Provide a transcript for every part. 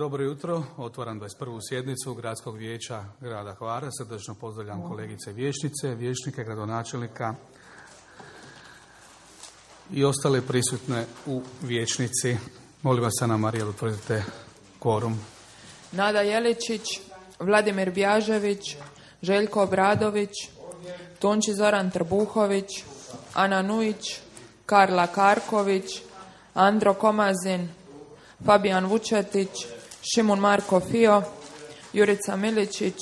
Dobro jutro, otvaram 21. sjednicu Gradskog vijeća grada Hvara. Srdačno pozdravljam kolegice vijećnice, vijećnike, gradonačelnika i ostale prisutne u vijećnici. Molim vas, Ana Marija, da utvrdite kvorum. Nada Jeličić, Vladimir Bjažević, Željko Obradović, Tonči Zoran Trbuhović, Ana Nujić, Karla Karković, Andro Komazin, Fabijan Vučetić, Šimun Marko Fio, Jurica Miličić,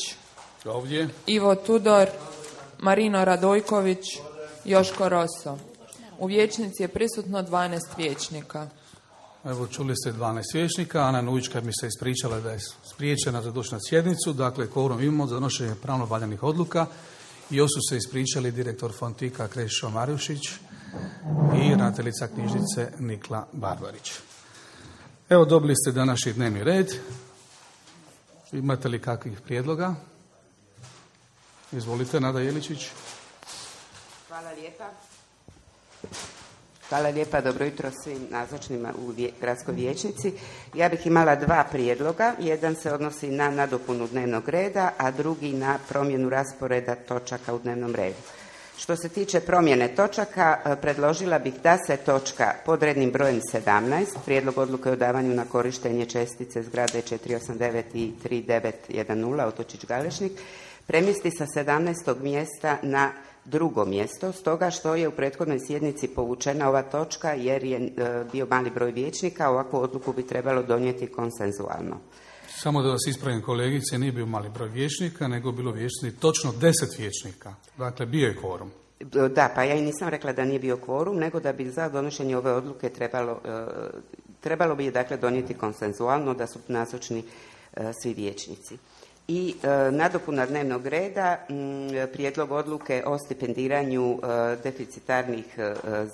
Ovdje. Ivo Tudor, Marino Radojković, Joško Roso. U vijećnici je prisutno 12 vijećnika. Evo, čuli ste 12 vijećnika. Ana Nujićka mi se ispričala da je spriječena za doći na sjednicu. Dakle, kvorum imamo za donošenje pravno valjanih odluka. I još su se ispričali direktor Fontika Krešo Marjušić i ravnateljica knjižnice Nikla Barbarić. Evo, dobili ste današnji dnevni red. Imate li kakvih prijedloga? Izvolite, Nada Jeličić. Hvala lijepa. Hvala lijepa, dobro jutro svim nazočnima u gradskoj vijećnici. Ja bih imala dva prijedloga. Jedan se odnosi na nadopunu dnevnog reda, a drugi na promjenu rasporeda točaka u dnevnom redu. Što se tiče promjene točaka, predložila bih da se točka pod rednim brojem 17, prijedlog odluke o davanju na korištenje čestice zgrade 489 i 3910 Otočić Galešnik, premjesti sa 17. mjesta na drugo mjesto, stoga što je u prethodnoj sjednici povučena ova točka jer je bio mali broj vijećnika, ovakvu odluku bi trebalo donijeti konsenzualno. Samo da vas ispravim, kolegice, nije bio mali broj vijećnika, nego bilo vijećnici točno 10 vijećnika. Dakle, bio je kvorum. Da, pa ja i nisam rekla da nije bio kvorum, nego da bi za donošenje ove odluke trebalo bi je dakle donijeti konsenzualno, da su nazočni svi vijećnici. I nadopuna dnevnog reda, prijedlog odluke o stipendiranju deficitarnih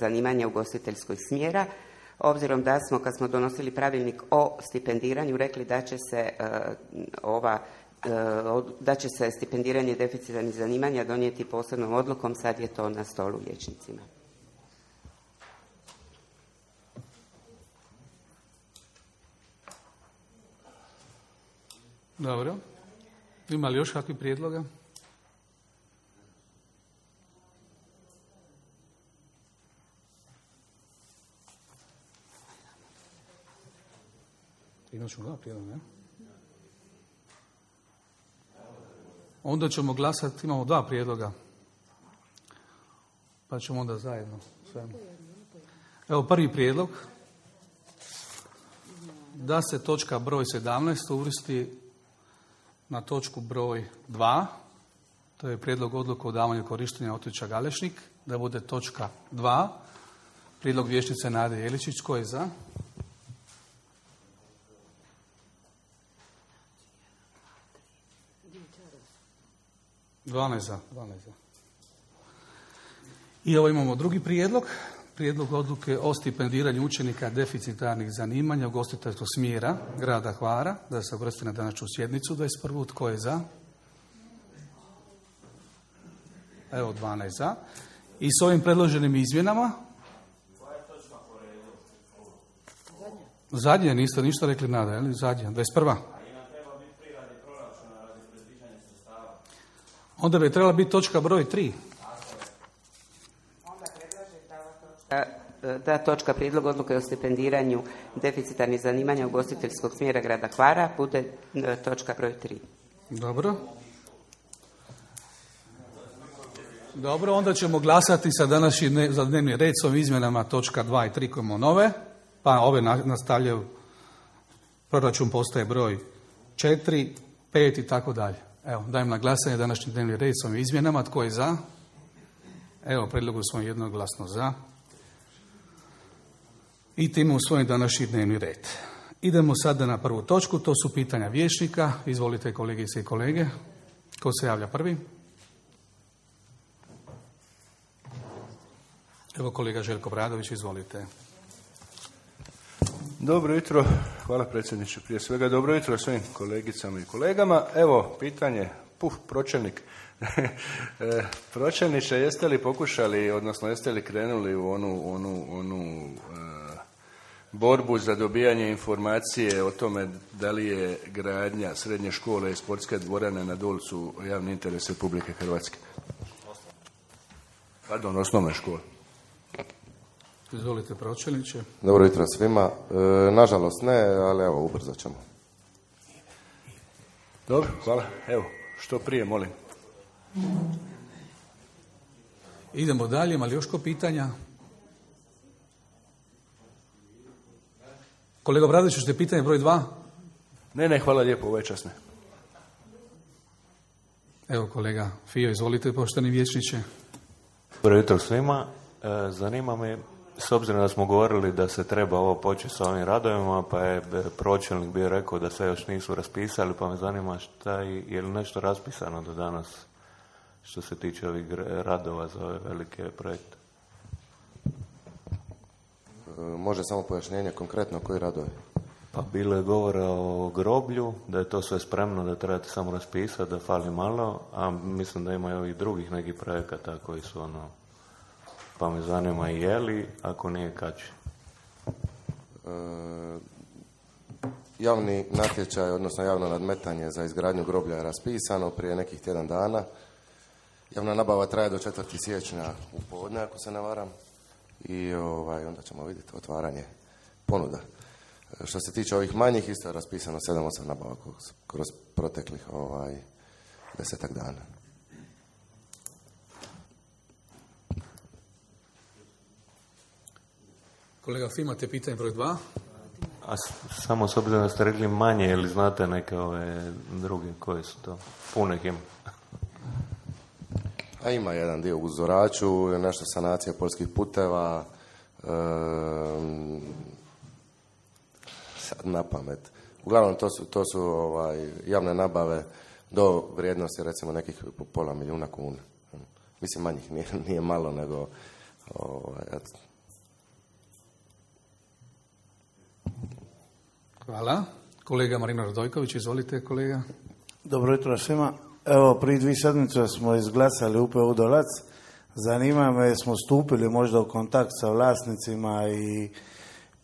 zanimanja ugostiteljskog smjera, obzirom da smo, kad smo donosili pravilnik o stipendiranju, rekli da će se da će se stipendiranje deficitarnih zanimanja donijeti posebnom odlukom, sad je to na stolu vijećnicima. Dobro. Ima li još kakvih prijedloga? Inačno prijedloga, ne? Onda ćemo glasati, imamo dva prijedloga. Pa ćemo onda zajedno. Evo prvi prijedlog. Da se točka broj 17 uvrsti na točku broj 2. To je prijedlog odluke o davanju korištenja Otočića Galešnik. Da bude točka 2. Prijedlog vijećnice Nade Jeličić. Tko je za? Dvanaest za. I ovo imamo drugi prijedlog. Prijedlog odluke o stipendiranju učenika deficitarnih zanimanja ugostiteljskog smjera grada Hvara, da se uvrsti na današnju sjednicu 21. Tko je za? Evo 12 za. I s ovim predloženim izmjenama? Zadnje, niste ništa rekli, Nada, je li? Zadnje, 21. Onda bi trebala biti točka broj 3. Da točka prijedlog odluke o stipendiranju deficitarnih zanimanja ugostiteljskog smjera grada Hvara bude točka broj 3. Dobro, onda ćemo glasati sa današnji za dnevni red s ovim izmjenama točka 2 i 3 koje imamo nove, pa ove nastavljaju, proračun postaje broj 4, 5 i tako dalje. Evo, dajem na glasanje današnji dnevni red s ovim izmjenama. Tko je za? Evo, predlogu smo jednoglasno za. I time usvojen današnji dnevni red. Idemo sada na prvu točku, to su pitanja vijećnika. Izvolite, kolegice i kolege. Ko se javlja prvi? Evo, kolega Željko Obradović, izvolite. Dobro jutro, hvala predsjedniče. Prije svega dobro jutro svim kolegicama i kolegama. Evo, pitanje, pročelnik. Pročelniče, jeste li pokušali, odnosno jeste li krenuli u onu borbu za dobijanje informacije o tome da li je gradnja srednje škole i sportske dvorane na Dolcu javni interes Republike Hrvatske. Pardon, osnovne škole. Izvolite, pročelniče. Dobro jutro svima. Nažalost ne, ali evo, ubrzo ćemo. Dobro, hvala. Evo, što prije, molim. Idemo dalje, ima li još ko pitanja? Kolega Obradović, ćete pitanje broj 2? Ne, hvala lijepo, ovo je časne. Evo kolega Fijo, izvolite, poštovani vijećniče. Dobro jutro svima. Zanima me, s obzirom da smo govorili da se treba ovo početi sa ovim radovima, pa je pročelnik bio rekao da se još nisu raspisali, pa me zanima je li nešto raspisano do danas što se tiče ovih radova za ove velike projekte. Može samo pojašnjenje konkretno koji radovi? Pa bilo je govora o groblju, da je to sve spremno, da trebate samo raspisati, da fali malo, a mislim da ima i ovih drugih nekih projekata koji su pa me zanima i je li, ako nije kad će. Javni natječaj, odnosno javno nadmetanje za izgradnju groblja je raspisano prije nekih tjedan dana. Javna nabava traje do 4. siječnja u podne, ako se ne varam. I onda ćemo vidjeti otvaranje ponuda. Što se tiče ovih manjih, isto je raspisano 7-8 nabava kroz proteklih 10 dana. Kolega Fi, imate pitanje broj 2? A samo s obzirom da ste rekli manje, ili znate neke ove druge koje su to? Puno ih ima. A ima jedan dio u Zoraču, nešto sanacija poljskih puteva, sad na pamet. Uglavnom to su javne nabave do vrijednosti recimo nekih $500,000 kuna. Mislim manjih, nije malo, nego Hvala. Kolega Marino Radojković, izvolite kolega. Dobro jutro svima. Evo, prije 2 sedmice smo izglasali UPU Dolac. Zanima me, smo stupili možda u kontakt sa vlasnicima i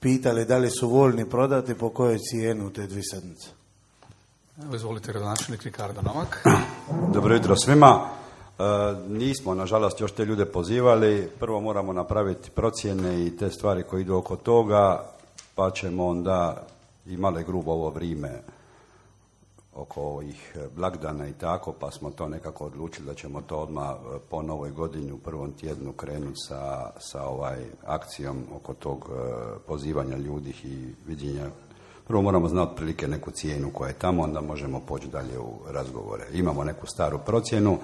pitali da li su voljni prodati, po kojoj cijeni u te 2 sedmice. Evo, izvolite, gradonačelnik Ricardo Novak. Dobro jutro svima. Nismo, nažalost, još te ljude pozivali. Prvo moramo napraviti procjene i te stvari koje idu oko toga, pa ćemo onda i malo grubo ovo vrijeme oko ovih blagdana i tako, pa smo to nekako odlučili da ćemo to odmah po novoj godini u prvom tjednu krenuti sa akcijom oko tog pozivanja ljudi i viđenja. Prvo moramo znati otprilike neku cijenu koja je tamo, onda možemo poći dalje u razgovore. Imamo neku staru procjenu,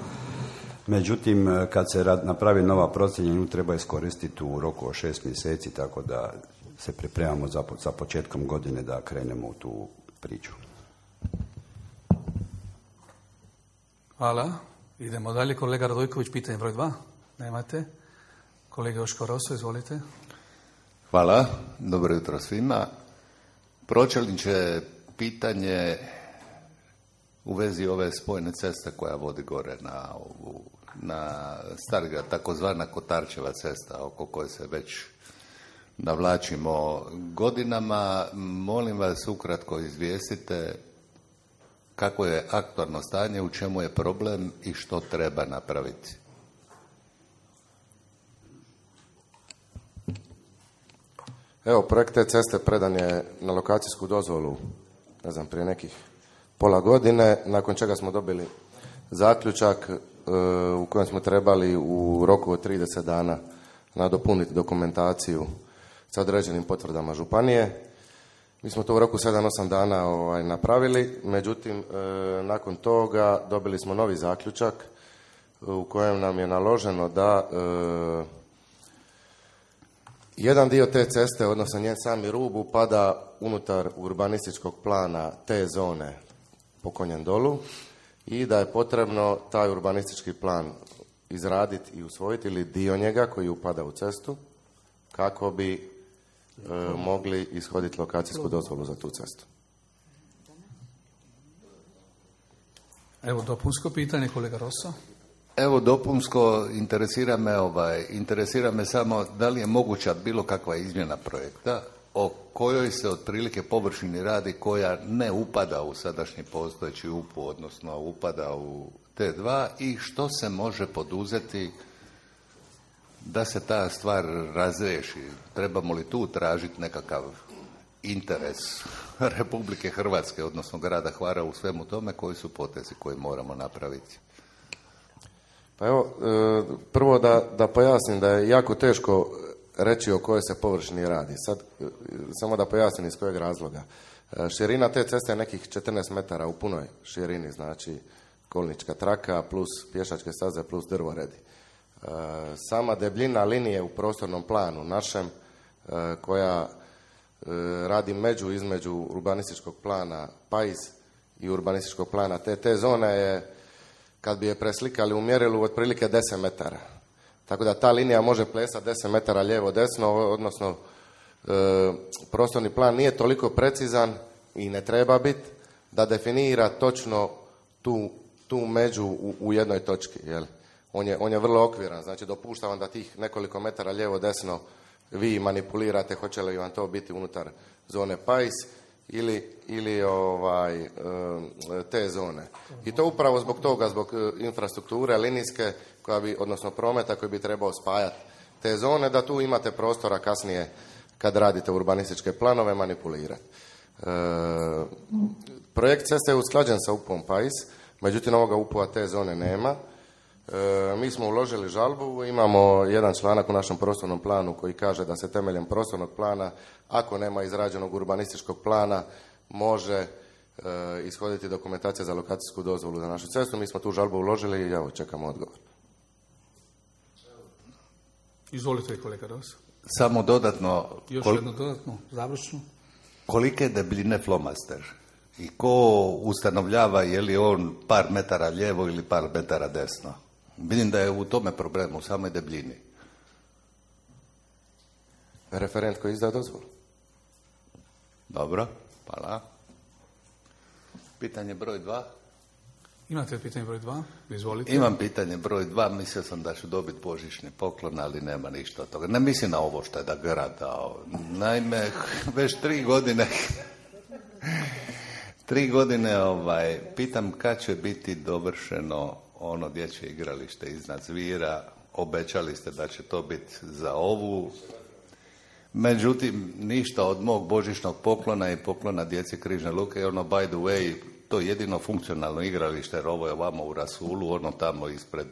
međutim kad se napravi nova procjena, nju treba iskoristiti u roku od 6 mjeseci, tako da se pripremamo za početkom godine da krenemo u tu priču. Hvala. Idemo dalje. Kolega Radojković, pitanje broj 2. Nemate. Kolega Joško Roso, izvolite. Hvala. Dobro jutro svima. Pročelniče, pitanje u vezi ove spojne ceste koja vodi gore na Starigrad, takozvana Kotarčeva cesta, oko koje se već navlačimo godinama. Molim vas, ukratko izvijestite kako je aktualno stanje, u čemu je problem i što treba napraviti. Evo, projekt te ceste predan je na lokacijsku dozvolu, prije nekih pola godine, nakon čega smo dobili zaključak u kojem smo trebali u roku od 30 dana nadopuniti dokumentaciju sa određenim potvrdama županije. Mi smo to u roku 7-8 dana napravili, međutim, nakon toga dobili smo novi zaključak u kojem nam je naloženo da jedan dio te ceste, odnosno njen sami rub, upada unutar urbanističkog plana te zone po Konjem dolu i da je potrebno taj urbanistički plan izraditi i usvojiti ili dio njega koji upada u cestu kako bi mogli ishoditi lokacijsku dozvolu za tu cestu. Evo, dopunsko pitanje, kolega Rosso. Evo, dopunsko, interesira me samo da li je moguća bilo kakva izmjena projekta o kojoj se otprilike površini radi koja ne upada u sadašnji postojeći UPU, odnosno upada u T2 i što se može poduzeti da se ta stvar razriješi? Trebamo li tu tražiti nekakav interes Republike Hrvatske, odnosno grada Hvara u svemu tome? Koji su potezi koje moramo napraviti? Pa evo, prvo da pojasnim da je jako teško reći o kojoj se površini radi. Sad, samo da pojasnim iz kojeg razloga. Širina te ceste je nekih 14 metara u punoj širini, znači kolnička traka plus pješačke staze plus drvoredi. Sama debljina linije u prostornom planu našem, koja radi među između urbanističkog plana PAIS i urbanističkog plana te zone je, kad bi je preslikali u mjerilu, otprilike 10 metara. Tako da ta linija može plesati 10 metara lijevo-desno, odnosno prostorni plan nije toliko precizan i ne treba biti da definira točno tu među u jednoj točki. Jel? On je vrlo okviran, znači dopušta vam da tih nekoliko metara lijevo-desno vi manipulirate hoće li vam to biti unutar zone PAIS ili te zone. I to upravo zbog toga, zbog infrastrukture linijske, odnosno prometa koji bi trebao spajati te zone, da tu imate prostora kasnije kad radite urbanističke planove manipulirati. Projekt ceste je usklađen sa UPU-om PAIS, međutim ovoga UPU-a te zone nema. Mi smo uložili žalbu, imamo jedan članak u našem prostornom planu koji kaže da se temeljem prostornog plana, ako nema izrađenog urbanističkog plana, može ishoditi dokumentacija za lokacijsku dozvolu za našu cestu. Mi smo tu žalbu uložili i evo čekamo odgovor. Izvolite, kolega Ros. Samo dodatno... Još jedno dodatno, završno. Kolike debljine flomaster? I ko ustanovljava je li on par metara lijevo ili par metara desno? Vidim da je u tome problem, u samoj debljini. Referent koji izda dozvolu. Dobro, hvala. Pitanje broj 2. Imate pitanje broj 2? Izvolite. Imam pitanje broj 2, mislio sam da ću dobiti božićni poklon, ali nema ništa od toga. Ne mislim na ovo što je da grad dao. Naime, već 3 godine... 3 godine pitam kad će biti dovršeno ono dječje igralište iznad Zvira. Obećali ste da će to biti za ovu. Međutim, ništa od mog božićnog poklona i poklona djeci Križne Luke. Ono, by the way, to je jedino funkcionalno igralište, jer ovo je ovamo u Rasulu, ono tamo ispred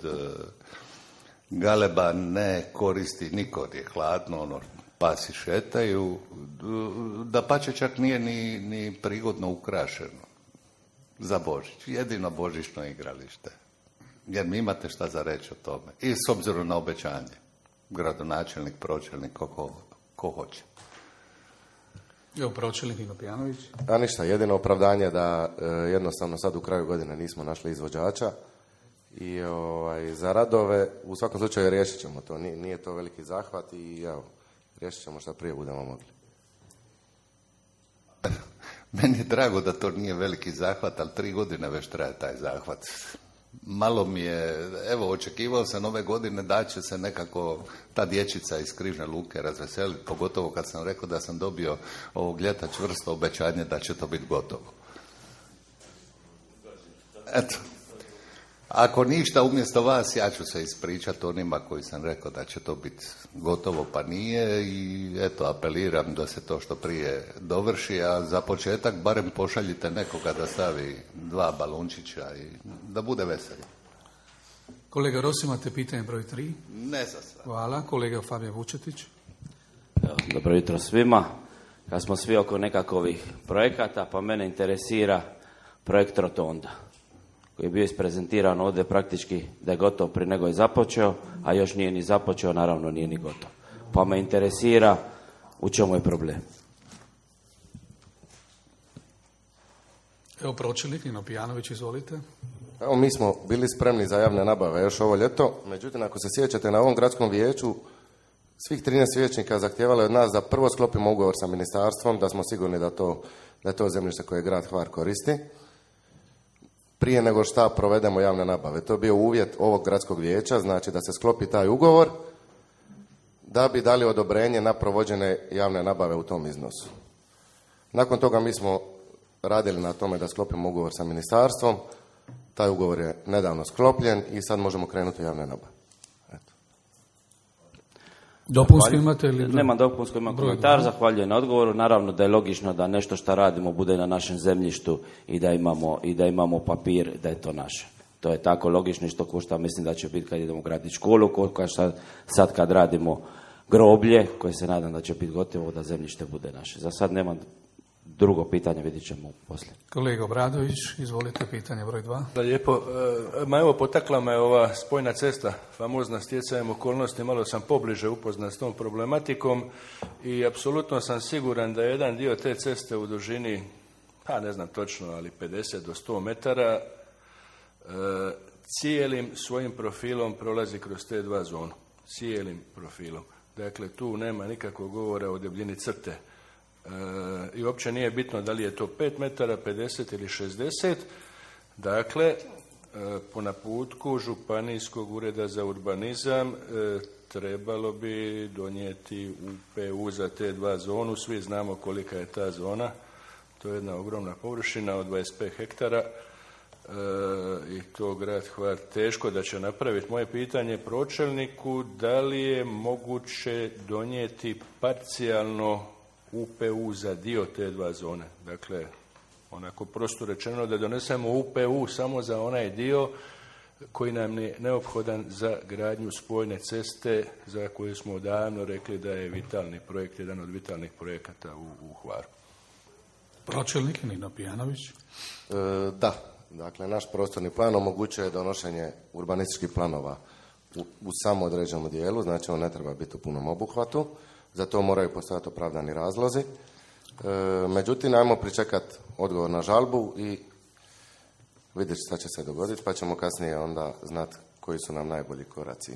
Galeba ne koristi niko, je hladno, ono, pasi šetaju, dapače čak nije ni prigodno ukrašeno za Božić. Jedino božićno igralište. Jer mi imate šta za reći o tome. I s obzirom na obećanje. Gradonačelnik, pročelnik, ko hoće. Evo, pročelnik Nino Pijanović. A ništa, jedino opravdanje da jednostavno sad u kraju godine nismo našli izvođača i za radove u svakom slučaju riješit ćemo to. Nije to veliki zahvat i evo, riješit ćemo šta prije budemo mogli. Meni je drago da to nije veliki zahvat, ali 3 godine već traje taj zahvat. Malo mi je, evo, očekivao sam ove godine da će se nekako ta dječica iz Križne Luke razveseliti, pogotovo kad sam rekao da sam dobio ovog ljeta čvrsto obećanje da će to biti gotovo. Eto. Ako ništa, umjesto vas, ja ću se ispričati onima koji sam rekao da će to biti gotovo, pa nije, i eto, apeliram da se to što prije dovrši, a za početak barem pošaljite nekoga da stavi 2 balončića i da bude veseli. Kolega Ros, imate pitanje broj 3? Ne za sve. Hvala. Kolega Fabio Vučetić. Dobro jutro svima. Kad smo svi oko nekakvih projekata, pa mene interesira projekt Rotonda, koji je bio isprezentiran ovdje praktički da je gotov prije nego je započeo, a još nije ni započeo, naravno nije ni gotov. Pa me interesira u čemu je problem. Evo, pročelnik Nino Pijanović, izvolite. Evo, mi smo bili spremni za javne nabave još ovo ljeto, međutim, ako se sjećate, na ovom gradskom vijeću svih 13 vijećnika zahtijevalo je od nas da prvo sklopimo ugovor sa ministarstvom, da smo sigurni da je to zemljište koje grad Hvar koristi, prije nego šta provedemo javne nabave. To je bio uvjet ovog gradskog vijeća, znači da se sklopi taj ugovor, da bi dali odobrenje na provođenje javne nabave u tom iznosu. Nakon toga mi smo radili na tome da sklopimo ugovor sa ministarstvom, taj ugovor je nedavno sklopljen i sad možemo krenuti u javne nabave. Dopunsko imate ili? Nema dopunsko, imam komentar, zahvaljujem na odgovoru. Naravno da je logično da nešto što radimo bude na našem zemljištu i da imamo papir da je to naše. To je tako logično i što košta, mislim da će biti kad idemo graditi školu, koliko sad kad radimo groblje, koje se nadam da će biti gotovo, da zemljište bude naše. Za sad nemam drugo pitanje, vidit ćemo poslije. Kolega Obradović, izvolite, pitanje broj 2. Da, lijepo. Evo, potakla me ova spojna cesta, famozna, stjecajem okolnosti, malo sam pobliže upoznat s tom problematikom i apsolutno sam siguran da je jedan dio te ceste u dužini, pa ne znam točno, ali 50 do 100 metara, cijelim svojim profilom prolazi kroz te dva zonu. Cijelim profilom. Dakle, tu nema nikakvog govora o debljini crte. I uopće nije bitno da li je to 5 metara, 50 ili 60. Dakle, po naputku Županijskog ureda za urbanizam trebalo bi donijeti UPU za te dva zonu. Svi znamo kolika je ta zona. To je jedna ogromna površina od 25 hektara i to grad Hvar teško da će napraviti. Moje pitanje pročelniku, da li je moguće donijeti parcijalno UPU za dio te dva zone. Dakle, onako prosto rečeno da donesemo UPU samo za onaj dio koji nam je neophodan za gradnju spojne ceste za koju smo davno rekli da je vitalni projekt, jedan od vitalnih projekata u Hvaru. Pročelnik Nino Pijanović. Da, dakle, naš prostorni plan omogućuje donošenje urbanističkih planova u samo određenom dijelu, znači on ne treba biti u punom obuhvatu. Za to moraju postojati opravdani razlozi. Međutim, ajmo pričekati odgovor na žalbu i vidjeti šta će se dogoditi, pa ćemo kasnije onda znati koji su nam najbolji koraci.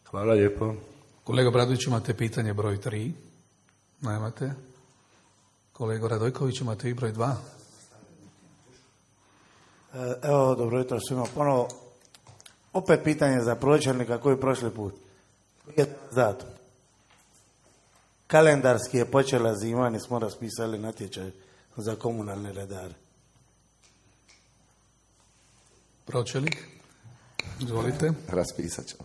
Hvala lijepo. Kolega Bradović, imate pitanje broj 3? Nemate? Kolega Radojković, imate i broj 2? Evo, dobro jutro svima. Ponovo, opet pitanje za pročelnika koji prošli put. Zato. Kalendarski je počela zima, nismo raspisali natječaj za komunalne redare. Pročelnik, izvolite. Raspisat ćemo.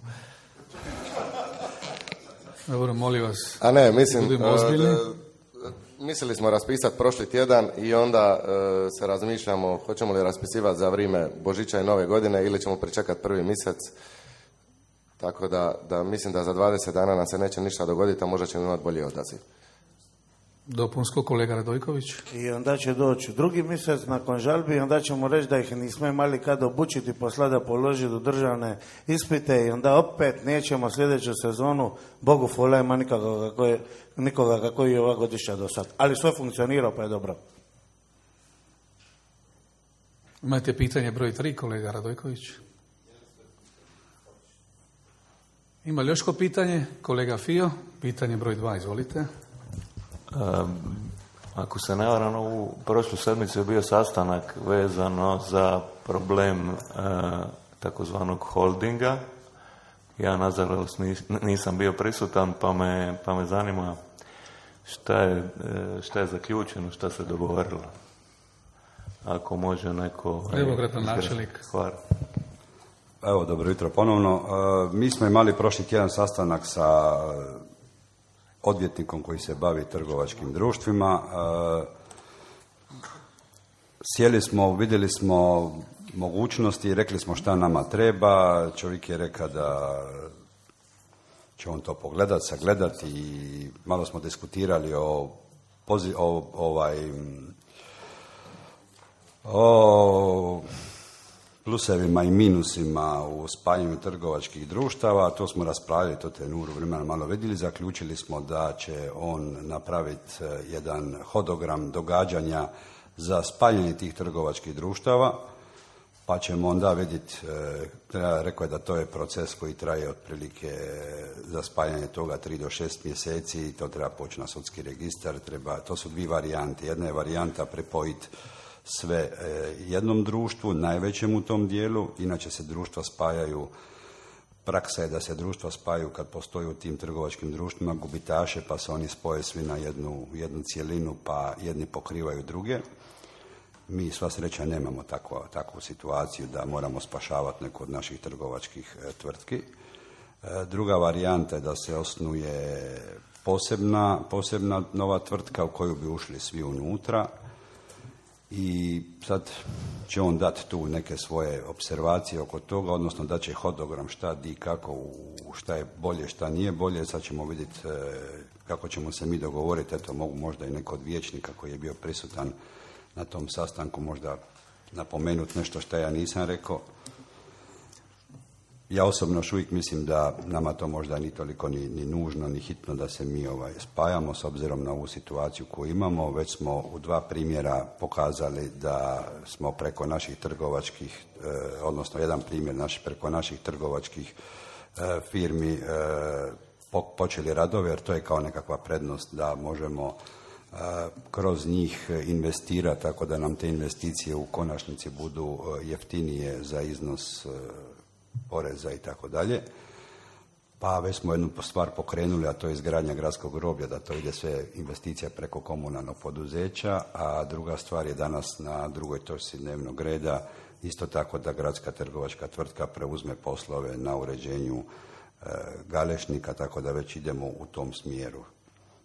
Dobro, molim vas. A ne, mislim, mislili smo raspisati prošli tjedan i onda se razmišljamo hoćemo li raspisivati za vrijeme Božića i Nove godine ili ćemo pričekati prvi mjesec. Tako da mislim da za 20 dana nam se neće ništa dogoditi, a možda ćemo imati bolji odaziv. Dopunsko, kolega Radojković. I onda će doći drugi mjesec nakon žalbi i onda ćemo reći da ih nismo imali kad obučiti, posla da položiti u državne ispite i onda opet nećemo sljedeću sezonu, Bogu hvala, ima nikoga kako je ova godišnja do sad. Ali sve funkcionira, pa je dobro. Imate pitanje broj 3, kolega Radojković? Ima li još ko pitanje? Kolega Fio, pitanje broj 2, izvolite. Ako se ne varam, u prošlu sedmicu je bio sastanak vezano za problem takozvanog holdinga. Ja nažalost nisam bio prisutan, pa me zanima šta je zaključeno, šta se dogovorilo. Ako može neko... Evo, gradonačelnik. Hvala. Evo, dobro jutro ponovno. Mi smo imali prošli tjedan sastanak sa odvjetnikom koji se bavi trgovačkim društvima. Sjeli smo, vidjeli smo mogućnosti i rekli smo šta nama treba. Čovjek je rekao da će on to pogledati, sagledati i malo smo diskutirali o plusevima i minusima u spajanju trgovačkih društava. To smo raspravili, to te nuru vremena malo vidjeli. Zaključili smo da će on napraviti jedan hodogram događanja za spajanje tih trgovačkih društava, pa ćemo onda vidjeti, rekao je da to je proces koji traje otprilike za spajanje toga 3 do 6 mjeseci, to treba poći na sudski registar, to su dvije varijante. Jedna je varijanta pripojiti sve jednom društvu, najvećem u tom dijelu, inače se društva spajaju praksa je da se društva spajaju kad postoji u tim trgovačkim društvima gubitaše, pa se oni spoje svi na jednu cjelinu, pa jedni pokrivaju druge. Mi sva sreća nemamo takvu situaciju da moramo spašavati neku od naših trgovačkih tvrtki. Druga varijanta je da se osnuje posebna nova tvrtka u koju bi ušli svi unutra i sad će on dati tu neke svoje observacije oko toga, odnosno da će hodogram šta, di, kako, šta je bolje, šta nije bolje. Sad ćemo vidjeti kako ćemo se mi dogovoriti. Eto, mogu možda i neko od vijećnika koji je bio prisutan na tom sastanku možda napomenuti nešto što ja nisam rekao. Ja osobno još uvijek mislim da nama to možda ni toliko ni nužno, ni hitno da se mi spajamo s obzirom na ovu situaciju koju imamo. Već smo u 2 primjera pokazali da smo preko naših trgovačkih, odnosno jedan primjer preko naših trgovačkih firmi počeli radove, jer to je kao nekakva prednost da možemo kroz njih investirati, tako da nam te investicije u konačnici budu jeftinije za iznos poreza i tako dalje. Pa već smo jednu stvar pokrenuli, a to je izgradnja gradskog groblja, da to ide sve investicija preko komunalnog poduzeća, a druga stvar je danas na drugoj točci dnevnog reda isto tako da gradska trgovačka tvrtka preuzme poslove na uređenju Galešnika, tako da već idemo u tom smjeru.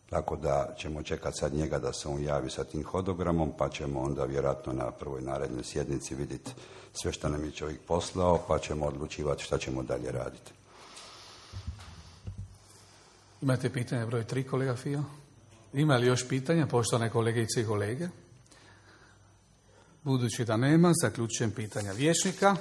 Tako da ćemo čekati sad njega da se on javi sa tim hodogramom, pa ćemo onda vjerojatno na prvoj narednoj sjednici vidjeti sve što nam je čovjek poslao, pa ćemo odlučivati šta ćemo dalje raditi. Imate pitanje broj 3, kolega Fio? Ima li još pitanja, poštovane kolegice i kolege? Budući da nema, zaključujem pitanja vijećnika.